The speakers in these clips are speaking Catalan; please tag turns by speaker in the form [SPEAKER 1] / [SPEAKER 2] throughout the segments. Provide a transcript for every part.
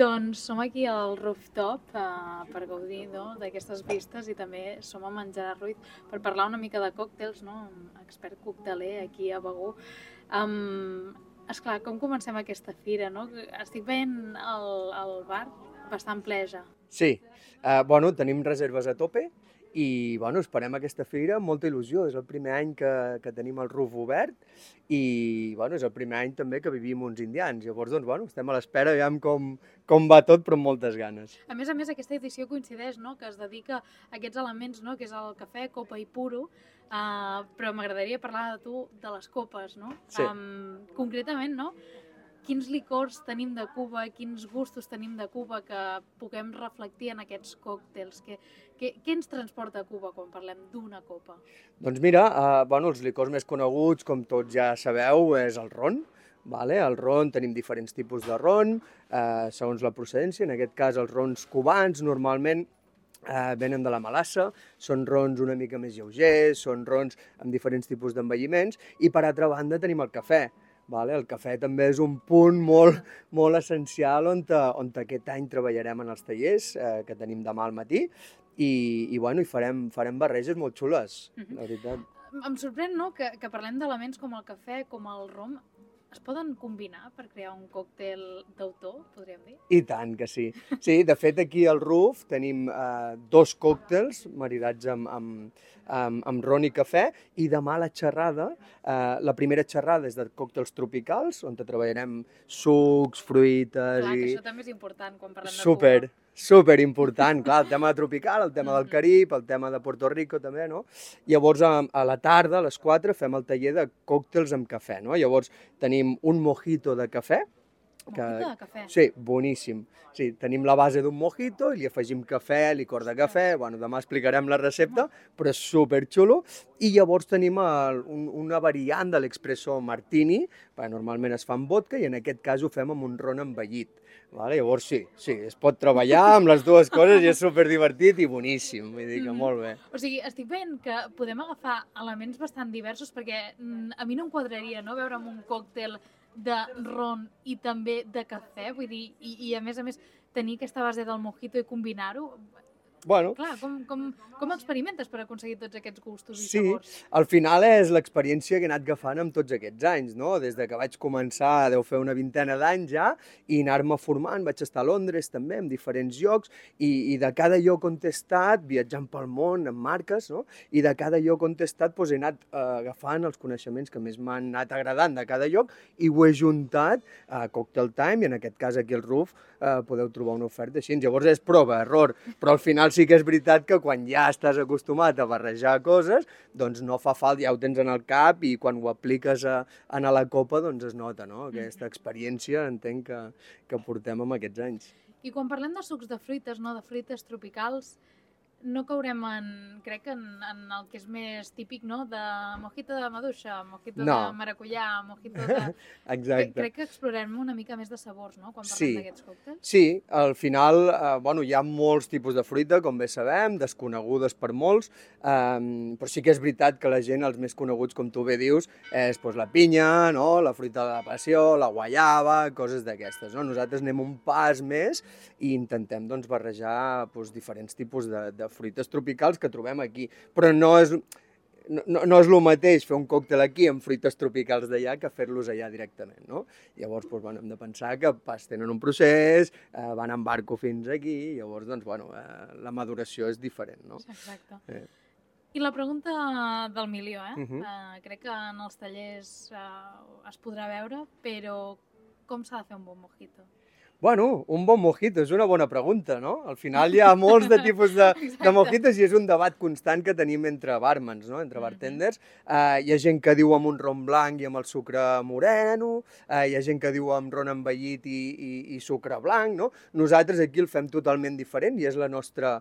[SPEAKER 1] Doncs som aquí al rooftop per gaudir d'aquestes vistes i també som a Menjar Ruiz per parlar una mica de còctels, expert cocteler aquí a Begur. Esclar, com comencem aquesta fira? Estic veient el bar bastant ple ja.
[SPEAKER 2] Sí, tenim reserves a tope i esperem aquesta fira amb molta il·lusió. És el primer any que tenim el roof obert i és el primer any també que vivim uns indians. Llavors, estem a l'espera, veiem com va tot, però amb moltes ganes.
[SPEAKER 1] A més, aquesta edició coincideix, que es dedica a aquests elements, que és el cafè, copa i puro, però m'agradaria parlar de tu, de les copes, no?
[SPEAKER 2] Sí.
[SPEAKER 1] Concretament, quins licors tenim de Cuba, quins gustos tenim de Cuba que puguem reflectir en aquests còctels? Què ens transporta a Cuba quan parlem d'una copa?
[SPEAKER 2] Doncs mira, els licors més coneguts, com tots ja sabeu, és el ron. El ron, tenim diferents tipus de ron, segons la procedència. En aquest cas, els rons cubans normalment venen de la Malassa, són rons una mica més lleugers, són rons amb diferents tipus d'envelliments, i per altra banda tenim el cafè. El cafè també és un punt molt essencial on aquest any treballarem en els tallers que tenim demà al matí i farem barreges molt xules, la veritat.
[SPEAKER 1] Em sorprèn que parlem d'elements com el cafè, com el rom. Es poden combinar per crear un còctel d'autor, podríem dir?
[SPEAKER 2] I tant que sí. Sí, de fet, aquí al roof tenim 2 còctels maridats amb ron i cafè, i demà la xerrada, la primera xerrada és de còctels tropicals, on treballarem sucs, fruites...
[SPEAKER 1] Clar, que això també és important quan parlem de Cuba.
[SPEAKER 2] Super important, clar, el tema tropical, el tema del Carib, el tema de Puerto Rico també, no? Llavors, a la tarda, a les 4, fem el taller de còctels amb cafè, no? Llavors, tenim un mojito de cafè.
[SPEAKER 1] Mojito de cafè?
[SPEAKER 2] Sí, boníssim. Sí, tenim la base d'un mojito i li afegim cafè, licor de cafè, demà explicarem la recepta, però és superxulo. I llavors tenim una variant de l'expresso martini, perquè normalment es fa amb vodka i en aquest cas ho fem amb un ron envellit. Llavors sí, es pot treballar amb les dues coses i és superdivertit i boníssim, vull dir que molt bé.
[SPEAKER 1] O sigui, estic veient que podem agafar elements bastant diversos perquè a mi no em quadraria veure'm un còctel de ron i també de cafè, vull dir, i a més tenir aquesta base del mojito i combinar-ho. Clar, com experimentes per aconseguir tots aquests gustos i sabors?
[SPEAKER 2] Sí, al final és l'experiència que he anat agafant amb tots aquests anys, no? Des de que vaig començar, deu fer una vintena d'anys ja, i anar-me formant, vaig estar a Londres també, en diferents llocs, i de cada lloc on he estat, viatjant pel món, amb marques, no? I de cada lloc on he estat he anat agafant els coneixements que més m'han anat agradant de cada lloc, i ho he juntat a Cocktail Time, i en aquest cas aquí al Roof podeu trobar una oferta així. Llavors és prova, error, però al final sí que és veritat que quan ja estàs acostumat a barrejar coses, doncs no fa falta, ja ho tens en el cap i quan ho apliques a la copa doncs es nota, no? Aquesta experiència entenc que portem amb aquests anys.
[SPEAKER 1] I quan parlem de sucs de fruites, de fruites tropicals, no caurem crec en el que és més típic, de mojito de maduixa, mojito de maracuyà, mojito de...
[SPEAKER 2] Exacte.
[SPEAKER 1] Crec que explorem una mica més de sabors, quan parlem d'aquests còctels.
[SPEAKER 2] Sí, al final, hi ha molts tipus de fruita, com bé sabem, desconegudes per molts, però sí que és veritat que la gent, els més coneguts, com tu bé dius, és la pinya, la fruita de la passió, la guaiava, coses d'aquestes. Nosaltres anem un pas més i intentem barrejar diferents tipus de fruites tropicals que trobem aquí, però no és el mateix fer un còctel aquí amb fruites tropicals d'allà que fer-los allà directament, no? Llavors, hem de pensar que tenen un procés, van en barco fins aquí, llavors, la maduració és diferent, no?
[SPEAKER 1] Exacte. I la pregunta del milió, crec que en els tallers es podrà veure, però com s'ha de fer un bon mojito?
[SPEAKER 2] Un bon mojito és una bona pregunta, no? Al final hi ha molts de tipus de mojitos i és un debat constant que tenim entre barmans, entre bartenders. Hi ha gent que diu amb un ron blanc i amb el sucre moreno, hi ha gent que diu amb ron envellit i sucre blanc, no? Nosaltres aquí el fem totalment diferent i és la nostra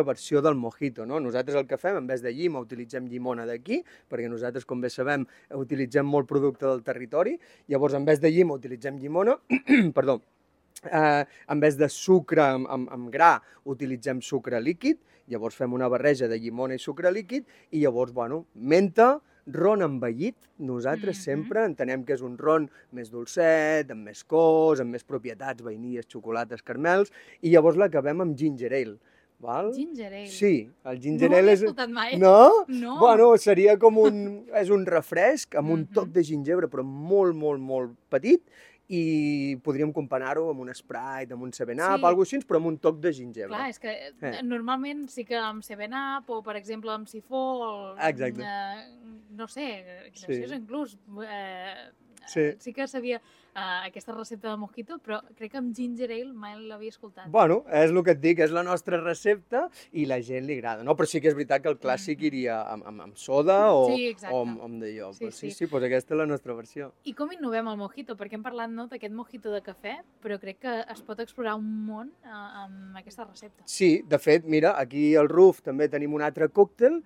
[SPEAKER 2] versió del mojito, no? Nosaltres el que fem, en vez de llima, utilitzem llimona d'aquí, perquè nosaltres, com bé sabem, utilitzem molt producte del territori, llavors en vez de llima utilitzem llimona, perdó, en vez de sucre amb gra utilitzem sucre líquid, llavors fem una barreja de llimona i sucre líquid i llavors, menta, ron envellit, nosaltres sempre entenem que és un ron més dolcet, amb més cos, amb més propietats, vainilles, xocolates, caramels, i llavors l'acabem amb ginger ale. Val?
[SPEAKER 1] Ginger ale.
[SPEAKER 2] Sí, el ginger
[SPEAKER 1] No ho
[SPEAKER 2] ale
[SPEAKER 1] havia
[SPEAKER 2] és...
[SPEAKER 1] escoltat mai.
[SPEAKER 2] No?
[SPEAKER 1] No.
[SPEAKER 2] Bueno, seria com és un refresc amb un toc de gingebre, però molt, molt, molt petit, i podríem comparar-ho amb un Sprite, amb un 7-Up, alguna cosa així, però amb un toc de gingebre.
[SPEAKER 1] Clar, és que normalment sí que amb 7-Up o, per exemple, amb sifó,
[SPEAKER 2] Exacte.
[SPEAKER 1] No sé, graciosa inclús, sí que sabia aquesta recepta de mojito, però crec que amb ginger ale mai l'havia escoltat.
[SPEAKER 2] Bueno, és el que et dic, és la nostra recepta i la gent li agrada, no? Però sí que és veritat que el clàssic iria amb soda o amb d'allò. Sí, doncs aquesta és la nostra versió.
[SPEAKER 1] I com innovem el mojito? Perquè hem parlat d'aquest mojito de cafè, però crec que es pot explorar un món amb aquesta recepta.
[SPEAKER 2] Sí, de fet, mira, aquí al Ruf també tenim un altre còctel,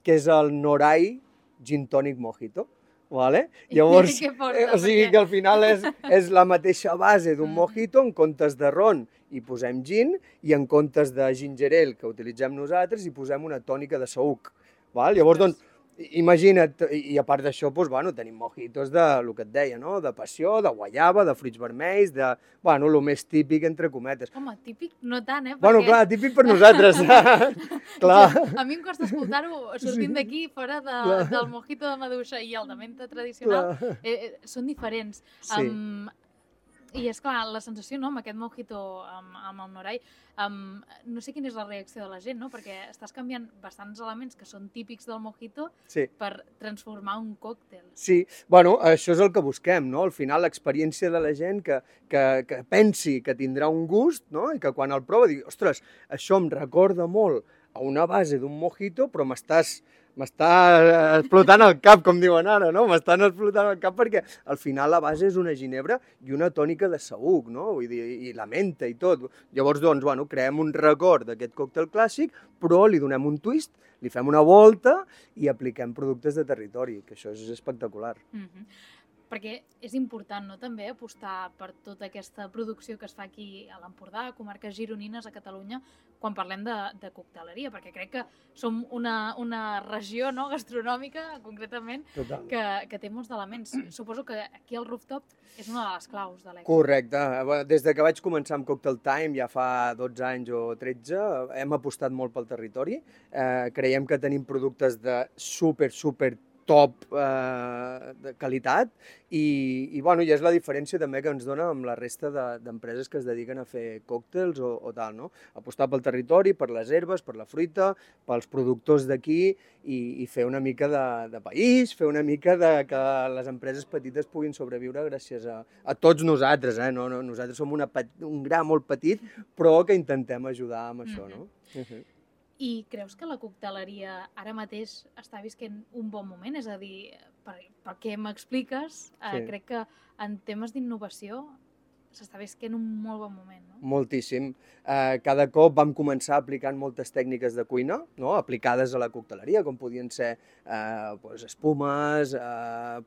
[SPEAKER 2] que és el Norai Gin Tonic Mojito. Vale? Llavors, o sigui que al final és la mateixa base d'un mojito, en comptes de ron hi posem gin i en comptes de ginger ale que utilitzem nosaltres hi posem una tònica de saüc. Llavors, doncs, imagina't, i a part d'això, doncs, bueno, tenim mojitos de, el que et deia, no? De passió, de guaiava, de fruits vermells, de, bueno, el més típic, entre cometes.
[SPEAKER 1] Home, típic no tant, eh?
[SPEAKER 2] Bueno, clar, típic per nosaltres. Clar.
[SPEAKER 1] A mi em costa escoltar-ho sortint d'aquí, fora del mojito de maduixa i el de menta tradicional, són diferents.
[SPEAKER 2] Sí.
[SPEAKER 1] I és clar, la sensació, no?, amb aquest mojito, amb el Norai, no sé quina és la reacció de la gent, no?, perquè estàs canviant bastants elements que són típics del mojito per transformar un còctel.
[SPEAKER 2] Sí, bueno, això és el que busquem, no? Al final, l'experiència de la gent que pensi que tindrà un gust, no?, i que quan el prova digui, ostres, això em recorda molt a una base d'un mojito, però m'està explotant el cap, com diuen ara, no? M'estan explotant el cap perquè al final la base és una ginebra i una tònica de saüc, no? Vull dir, i la menta i tot. Llavors, doncs, bueno, creem un record d'aquest còctel clàssic, però li donem un twist, li fem una volta i apliquem productes de territori, que això és espectacular.
[SPEAKER 1] Perquè és important, no?, també apostar per tota aquesta producció que es fa aquí a l'Empordà, a comarques gironines, a Catalunya, quan parlem de cocteleria, perquè crec que som una regió, no?, gastronòmica, concretament, que té molts elements. Suposo que aquí el rooftop és una de les claus de l'èxit.
[SPEAKER 2] Correcte. Des que vaig començar amb Cocktail Time, ja fa 12 anys o 13, hem apostat molt pel territori. Creiem que tenim productes de super top de qualitat i és la diferència també que ens dona amb la resta d'empreses que es dediquen a fer còctels o tal, no? Apostar pel territori, per les herbes, per la fruita, pels productors d'aquí i fer una mica de país, fer una mica que les empreses petites puguin sobreviure gràcies a tots nosaltres, eh? Nosaltres som un gra molt petit, però que intentem ajudar amb això, no?
[SPEAKER 1] I creus que la cocteleria ara mateix està visquent un bon moment? És a dir, pel que m'expliques, crec que en temes d'innovació s'està visquent un molt bon moment, no?
[SPEAKER 2] Moltíssim. Cada cop vam començar aplicant moltes tècniques de cuina, no?, aplicades a la cocteleria, com podien ser espumes,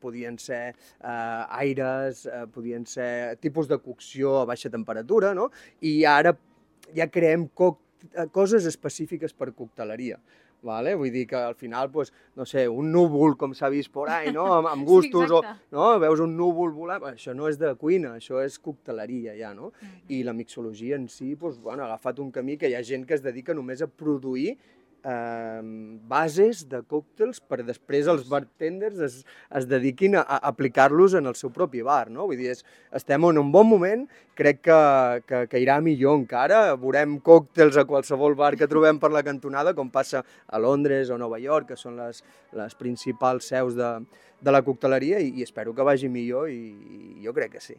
[SPEAKER 2] podien ser aires, podien ser tipus de cocció a baixa temperatura, no? I ara ja creem coses específiques per cocteleria. Vull dir que al final, no sé, un núvol, com s'ha vist por ahí, no? Amb gustos, veus un núvol volant, això no és de cuina, això és cocteleria ja, no? I la mixologia en si ha agafat un camí que hi ha gent que es dedica només a produir bases de còctels per després els bartenders es dediquin a aplicar-los en el seu propi bar, no? Vull dir, estem en un bon moment, crec que irà millor encara, veurem còctels a qualsevol bar que trobem per la cantonada, com passa a Londres o Nova York, que són les principals seus de la cocteleria, i espero que vagi millor, i jo crec que sí.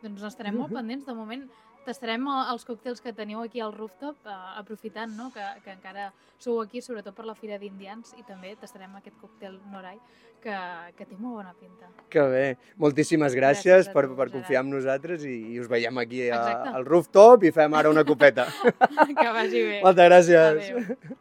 [SPEAKER 1] Doncs estarem molt pendents, de moment tastarem els còctels que teniu aquí al rooftop, aprofitant, no?, que encara sou aquí, sobretot per la Fira d'Indians, i també tastarem aquest còctel Norai, que té molt bona pinta.
[SPEAKER 2] Que bé. Moltíssimes gràcies per confiar en nosaltres i us veiem aquí al rooftop i fem ara una copeta.
[SPEAKER 1] Que vagi bé.
[SPEAKER 2] Moltes gràcies.
[SPEAKER 1] Adéu.